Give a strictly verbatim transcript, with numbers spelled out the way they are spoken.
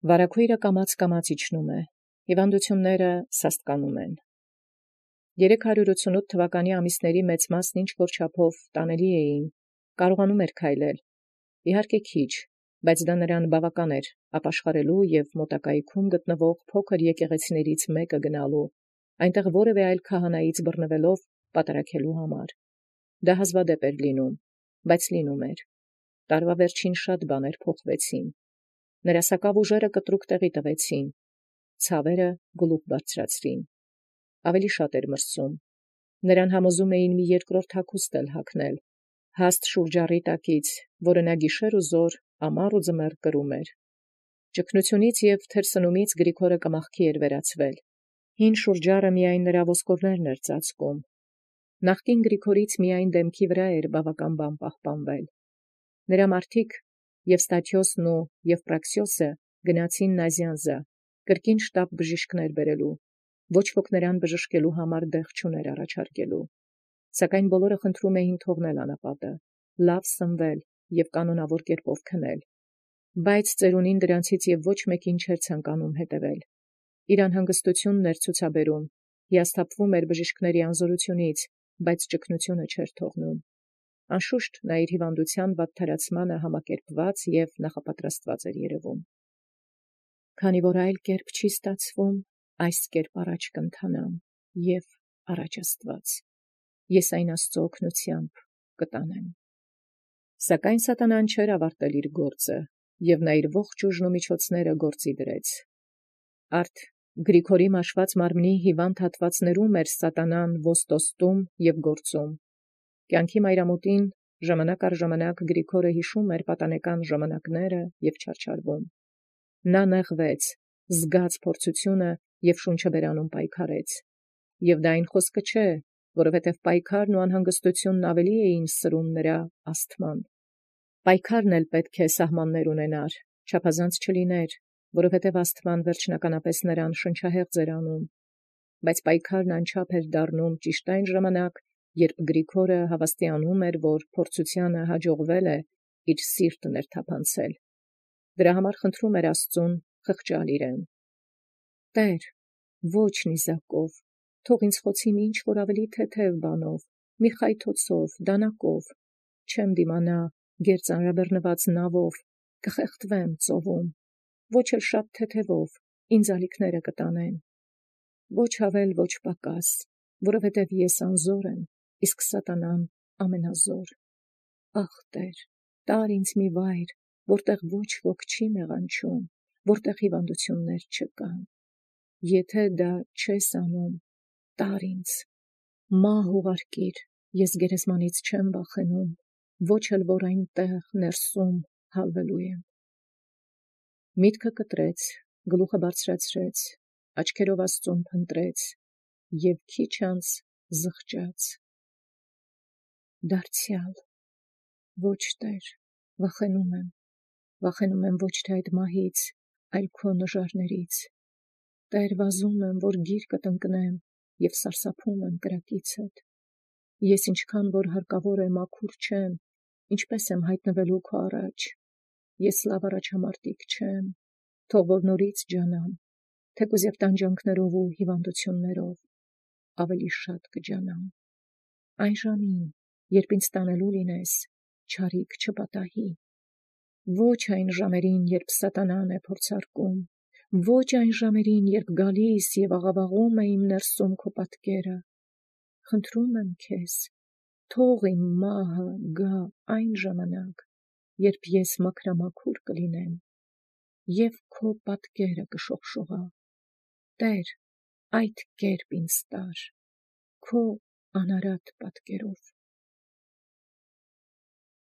Վարագոյրը կամաց կամաց իջնում է, հիվանդությունները սաստկանում են։ Երեք հարյուր ութսունութ թվականի ամիսների մեծ մասն ինչ որ չափով տանելի էին, կարողանում էր քայլել, իհարկե քիչ, բայց դա նրան բավական էր ապաշխարելու և մոտակայքում գտնվող փոքր եկեղեցիներից մեկը գնալու, այնտեղ որևէ այլ քահանայից բռնվելով պատարակելու համար։ Դա հազվադեպ էր լինում, բայց լինում էր։ Տարվա վերջին շատ բաներ փոխվեցին։ Նրա սակավ ուժերը կտրուկ տեղի տվեցին, ցավերը գլուխ բարձրացրին։ Ավելի շատ էր մրսում։ Նրան համոզում էին մի երկրորդ հագուստ էլ հագնել, հաստ շուրջառի տակից, որը նա գիշեր ու զօր ամառ ու ձմեռ կրում էր։ Ճգնությունից և թերսնումից Գրիգորը կմախքի էր վերածվել։ Հին շուրջառը միայն նրա ոսկորներն էր ծածկում։ Նախկին Գրիգորից միայն դեմքի վրա էր բավական բան պահպանվել։ Նրա մարդիկ Եվստաթիոսն ու Եվպրաքսիոսը գնացին Նազյանզա, կրկին շտապ բժիշկներ բերելու, ոչ ոք նրան բժշկելու համար դեղ չուներ առաջարկելու, սակայն բոլորը խնդրում էին թողնել անապատը, լավ սնվել և կանոնավոր կերպով քնել, բայց ծերունին դրանցից և ոչ մեկին չէր ցանկանում հետևել։ Իր անհանգստությունն էր ցուցաբերում, հիասթափվում էր բժիշկների անզորությունից, բայց ճկունությունը չէր թողնում։ Անշուշտ նա իր հիվանդության վատթարացմանը համակերպված և նախապատրաստված էր երևում։ Քանի որ այլ կերպ չի ստացվում, այս կերպ առաջ կընթանամ և առաջ Աստված, ես այն Աստծո օգնությամբ կտանեմ։ Սակայն սատանան չէր ավարտել իր գործը, և նա իր ողջ ուժն ու միջոցները գործի դրեց։ Արդ Գրիգորի մաշված մարմնի հիվանդ հատվածներում էր սատանան ոստոստում և գործում։ Կյանքի մայրամուտին ժամանակ առ ժամանակ Գրիգորը հիշում էր պատանեկան ժամանակները և չարչարվում։ Նա նեղվեց, զգաց փորձությունը և շունչը բերանում պայքարեց։ Եվ դա այն խոսքը չէ, որովհետև պայքարն ու անհանգստությունն ավելի էին սրում նրա ասթման։ Պայքարն էլ պետք է սահմաններ ունենար, չափազանց չլիներ, որովհետև ասթման վերջնականապես նրան շնչահեղձ էր անում։ Բայց պայքարն անչափ էր դառնում ճիշտ այն ժամանակ, երբ Գրիգորը հավաստիանում էր, որ փորձությանը հաջողվել է իր սիրտը ներթափանցել։ Դրա համար խնդրում էր Աստծուն խղճալ իրեն. «Տե՛ր, ոչ նիզակով, թող ինձ խոցի մի ինչ-որ ավելի թեթև բանով, մի խայթոցով, դանակով, չեմ դիմանա գեր ծանրաբեռնված նավով, կխեղդվեմ ծովում, ոչ էլ շատ թեթևով, ինձ ալիքները կտանեն, ոչ ավել, ոչ պակաս, որովհետև ես անզոր եմ, իսկ սատանան ամենազոր։ Ախ, Տեր, տար ինձ մի վայր, որտեղ ոչ ոք չի մեղանչում, որտեղ հիվանդություններ չկան։ Եթե դա չես անում, տար ինձ, մահ ուղարկիր, ես գերեզմանից չեմ վախենում, ոչ էլ որ այնտեղ ներսում հալվելու եմ»։ Միտքը կտրեց, գլուխը բարձրացրեց, աչքերով Աստծուն փնտրեց և քիչ անց զղջաց. «Դարձյալ, ոչ Տեր, վախենում եմ, վախենում եմ ոչ թե այդ մահից, այլ քո նժարներից։ Տեր, վազում եմ, որ գիրկդ ընկնեմ և սարսափում եմ կրակիցդ։ Ես ինչքան որ հարկավոր է մաքուր չեմ, ինչպես եմ հայտնվելու քո առաջ։ Ես լավ առաջամարտիկ չեմ, թող որ նորից ջանամ, թեկուզ և տանջանքներով ու հիվանդություններով, ավելի շատ կջանամ։ Այն ժամին, երբ ինձ տանելու լինես, չարիք չպատահի։ Ոչ այն ժամերին, երբ սատանան է փորձարկում, ոչ այն ժամերին, երբ գալիս և աղավաղում է իմ ներսում քո պատկերը։ Խնդրում եմ քեզ, թող իմ մահը գա այն ժամանակ, երբ ես մաքրամաքուր կլինեմ և քո պատկերը կշողշողա։ Տեր, այդ կերպ ինձ տար, քո անարատ պատկերով»։